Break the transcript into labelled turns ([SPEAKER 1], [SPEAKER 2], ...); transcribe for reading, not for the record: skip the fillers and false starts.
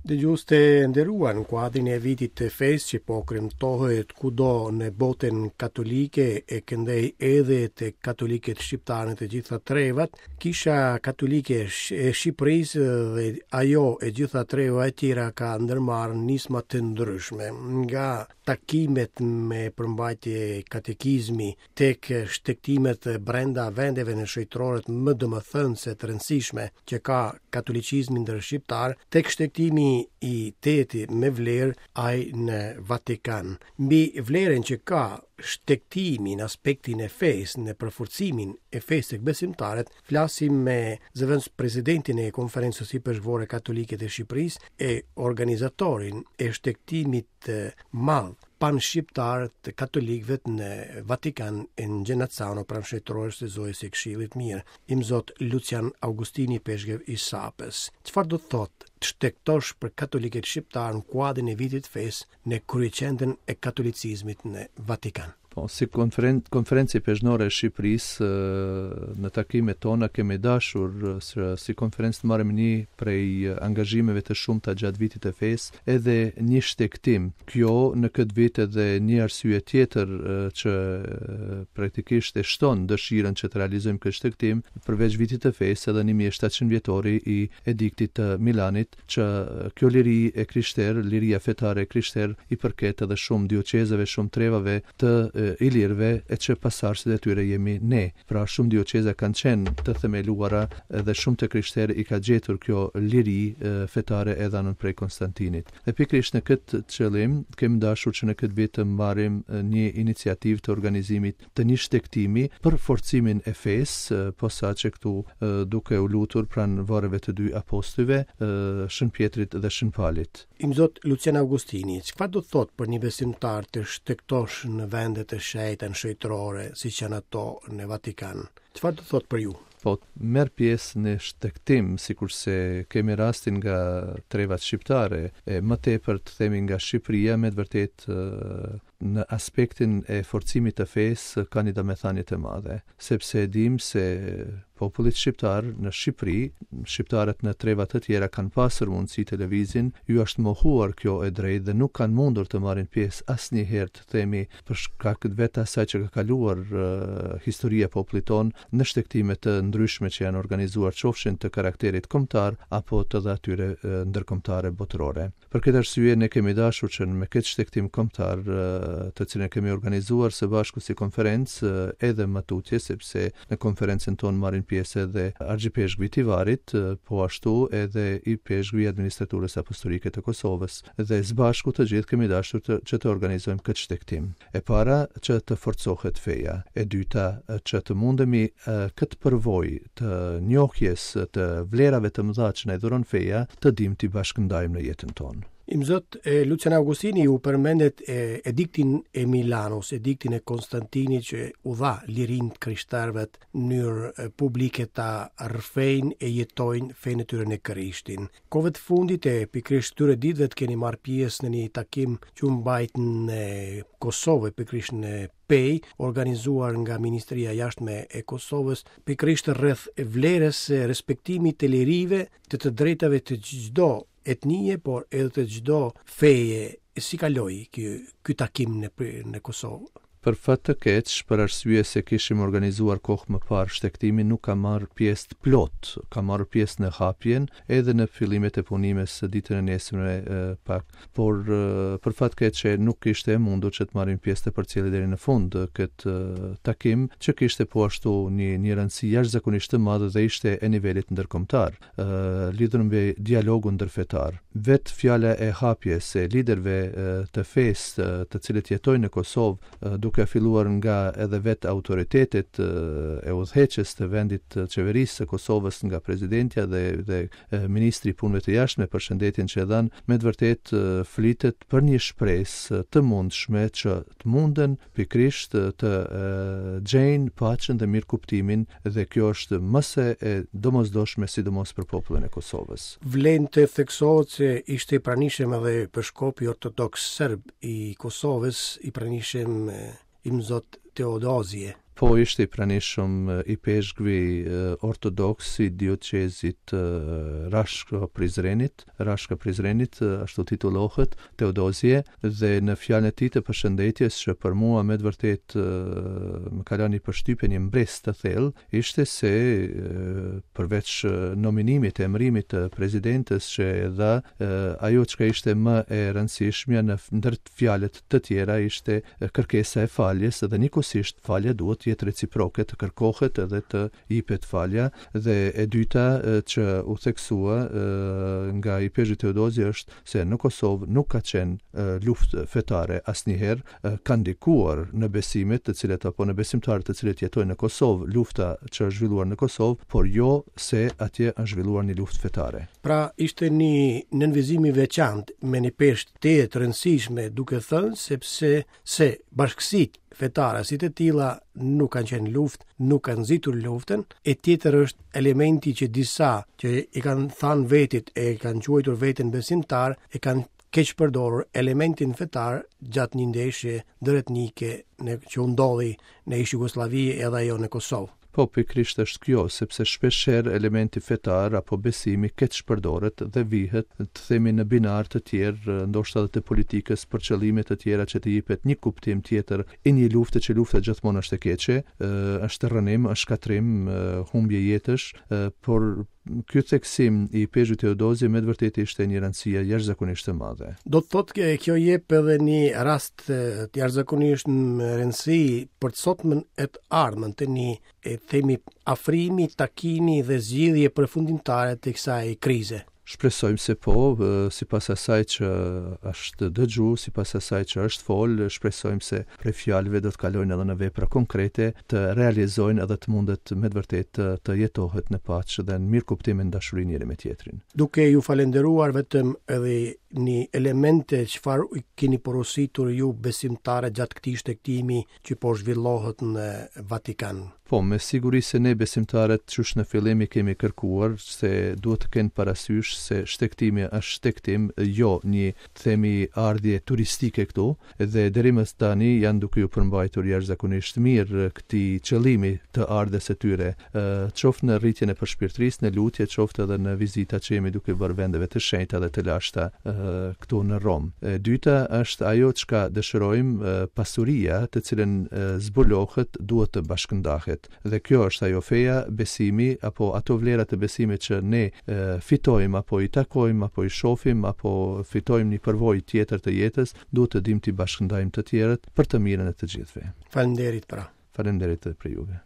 [SPEAKER 1] Dëgjues të nderuar, në kuadrin e vitit të fesë që po kremtohet kudo në botën katolike e këndej edhe te katolikët shqiptarë në të gjitha trevat, Kisha Katolike e Shqipërisë dhe ajo e gjitha trevave e tjera ka ndërmarrë nisma të ndryshme, nga takimet me përmbajtje katekizmi tek shtegtimet brenda vendeve në shejtëroret më domethënëse të rëndësishme që ka katolicizmi ndër shqiptarë, tek shtegtimi i teti me vlerë ai në Vatikan. Mbi vlerën që ka shtegtimi në aspektin e fesë, në përforcimin e fesë tek besimtarët, flasim me zëvendëspresidentin e Konferencës Ipeshkvore Katolike të Shqipërisë e organizatorin e shtegtimit të madh panshqiptar të katolikëve në Vatikan e në Genazzano pranë shejtërores së Zojës së Këshillit të Mirë, Imzot Lucian Augustini Ipeshkëv i Sapës. Çfarë do të thotë të shtegtosh për katolikët shqiptarë në kuadrin e vitit të fesë në kryeqendrën e katolicizmit në Vatikan?
[SPEAKER 2] Po, si konferen konferencë ipeshkvnore e Shqipërisë, në takimet tona kemi dashur si konferencë të marrim një prej angazhimeve të shumta gjatë vitit të fesë, edhe një shtegtim. Kjo në këtë vit edhe një arsye tjetër që praktikisht e shton dëshirën që të realizojmë këtë shtegtim, përveç vitit të fesë edhe 1700 vjetori i ediktit të Milanit, që kjo liri e krishterë, liria fetare e krishterë i përket edhe shumë dioqezave, shumë trevave të ilirëve e që pasardhësit e tyre jemi ne. Pra shumë dioqeza kanë qenë të themeluara edhe shumë të krishterë i ka gjetur kjo liri fetare e dhënun prej Konstantinit. Dhe pikërisht në këtë qëllim kemi dashur që në këtë vit të marrim një iniciativë të organizimit të një shtegtimi për forcimin e fesë, posaçe këtu duke u lutur pranë varreve të dy apostujve, Shën Pjetrit dhe Shën Palit.
[SPEAKER 1] Imzot Lucian Augustini, çfarë do të thotë për një besimtar të shtegtosh në vende të shenjta në shejtërore, siç janë ato në Vatikan? Çfarë do të thotë për ju?
[SPEAKER 2] Po, merr pjesë në shtegtim, sikurse kemi rastin nga trevat shqiptare, e më tepër të themi nga Shqipëria, me të vërtetë në aspektin e forcimit të fesë ka një domethënie të madhe, sepse e dimë se popullit shqiptar në Shqipëri, shqiptarët në treva të tjera kanë pasur mundësi të lëvizin, ju është mohuar kjo e drejtë dhe nuk kanë mundur të marrin pjesë asnjëherë të themi për shkak vetë asaj që ka kaluar historia e popullit tonë në shtegtime të ndryshme që janë organizuar qofshin të karakterit kombëtar apo të dhe atyre ndërkombëtare botërore. Për këtë arsye ne kemi dashur që me këtë shtegtim kombëtar, të cilin e kemi organizuar së bashku si konferencë edhe më tutje, sepse në konferencën tonë marrin pjesë edhe Argjipeshkvi i Tivarit, po ashtu edhe Ipeshkvi i Administraturës Apostolike të Kosovës dhe së bashku të gjithë kemi dashur të, që të organizojmë këtë shtegtim. E para, që të forcohet feja. E dyta, që të mundemi këtë përvojë të njohjes të vlerave të mëdha që na i dhuron feja, të dimë t'i bashkëndajmë në jetën
[SPEAKER 1] tonë. Imzot Lucian Augustini ju përmendët ediktin e Milanos, ediktin e Konstantinit që u dha lirinë të krishterëve në mënyrë publike ta rrëfejnë e jetojnë fenë e tyre në Krishtin. Kohëve të fundit e pikërisht këtyre ditëve të keni marrë pjesë në një takim që u mbajt në Kosovë, pikërisht në Pejë, organizuar nga Ministria e Jashtme e Kosovës, pikërisht rreth vlerës së respektimit të lirive, të të drejtave të çdo etnie, por edhe të çdo feje. Si kaloi ky ky takim në në Kosovë?
[SPEAKER 2] Për fat të keq, për arsye se kishim organizuar kohë më parë shtegtimin, nuk kam marrë pjesë të plotë, kam marrë pjesë në hapjen edhe në fillimet e punimes ditën e nesërme pak, por për fat keq nuk ishte e mundur që të marrim pjesë të përcjellim deri në fund këtë takim, që kishte po ashtu një një rëndësi jashtëzakonisht të madhe dhe ishte e nivelit ndërkombëtar. lidhur me dialogun ndërfetar. Vetë fjala e hapjes e liderëve të fesë të cilët jetojnë në Kosovë, duke filluar nga edhe vetë autoritetet e udhëheqës të vendit të qeverisë së Kosovës nga presidentja dhe dhe ministri i Punëve të Jashtme përshëndetjen që e dhanë, me të vërtetë flitet për një shpresë të mundshme që të munden pikërisht të gjejnë paqen dhe mirëkuptimin dhe kjo është më se e domosdoshme sidomos për popullin e
[SPEAKER 1] Kosovës. Vlen të theksohet se ishte i pranishëm edhe peshkopi ortodoks serb i Kosovës, i pranishëm Imzot Teodozije.
[SPEAKER 2] Po ishte i pranishëm ipeshkvi ortodoks i dioqezit Rashka Prizrenit, Rashka Prizrenit, ashtu titullohet, Teodozije, dhe në fjalën e tij të përshëndetjes që për mua me të vërtetë më ka lënë një përshtypje, një mbresë të thellë, ishte se përveç nominimit, emërimit të presidentes që e dha, ajo çka ishte më e rëndësishmja në ndër fjalët të tjera ishte kërkesa e faljes dhe njëkohësisht falja duhet të jetë reciproke, të kërkohet edhe të jipet falja dhe e dyta që u theksua nga ipeshkvi Teodozi është se në Kosovë nuk ka qenë luftë fetare asnjëherë, ka ndikuar në besimet të cilët apo në besimtarët të cilët jetojnë në Kosovë, lufta që është zhvilluar në Kosovë, por jo se atje është zhvilluar një luftë
[SPEAKER 1] fetare. Pra ishte një nënvizim i veçantë me një peshë tejet të rëndësishme duke thënë sepse se bashkësitë fetare si të tilla nuk kanë qenë luftë, nuk kanë nxitur luftën, e tjetër është elementi që disa që i kanë thanë vetit e kanë quajtur veten besimtar, e kanë keqpërdorur elementin fetar gjatë një ndeshje ndëretnike në që u ndodhi në ish Jugosllavi edhe ajo në Kosovë.
[SPEAKER 2] Po, pikërisht është kjo, sepse shpeshherë elementi fetar apo besimi keqpërdoret dhe vihet, të themi, në binarë të tjerë, ndoshta edhe të politikës për qëllime të tjera që të jipet një kuptim tjetër i një lufte që lufta gjithmonë është e keqe, është rrënim, është shkatërrim, humbje jetësh, por Ky theksim i Ipeshkvit Teodozi me të vërtetë ishte një rëndësi jashtëzakonisht e
[SPEAKER 1] madhe. Do të thotë që kjo jep edhe një rast të jashtëzakonisht me rëndësi për të sotmen e të ardhmen të një e themi afrimi, takimi dhe zgjidhje përfundimtare të kësaj krize.
[SPEAKER 2] Shpresojmë se po, sipas asaj që është dëgju, sipas asaj që është fol, shpresojmë se prej fjalëve do të kalojnë edhe në vepra konkrete, të realizojnë edhe të mundet me të vërtetë të, të jetohet në paqe dhe në mirëkuptim e në dashuri njëri me
[SPEAKER 1] tjetrin. Duke ju falenderuar vetëm edhe një element çfarë keni porositur ju besimtarët gjatë këtij shtegtimi që po zhvillohet në Vatikan.
[SPEAKER 2] Po, me siguri se ne besimtarët qysh në fillim i kemi kërkuar se duhet të kenë parasysh se shtegtimi është shtegtim, jo një, të themi, ardhje turistike këtu, dhe deri më tani janë duke iu përmbajtur jashtëzakonisht mirë këtij qëllimi të ardhjes së tyre, qoftë në rritjen e përshpirtërisë, në lutje, qoftë edhe në vizitat që jemi duke bërë vendeve të shenjta dhe të lashta këtu në Romë. E dyta është ajo çka dëshirojmë, pasuria të cilën zbulohet duhet të bashkëndahet. Dhe kjo është ajo feja, besimi apo ato vlera të besimit që ne fitojmë apo i takojmë apo i shohim apo fitojmë një përvojë tjetër të jetës, duhet të dimë t'i bashkëndajmë të tjerët për të mirën e të gjithëve.
[SPEAKER 1] Faleminderit pra.
[SPEAKER 2] Faleminderit edhe për juve.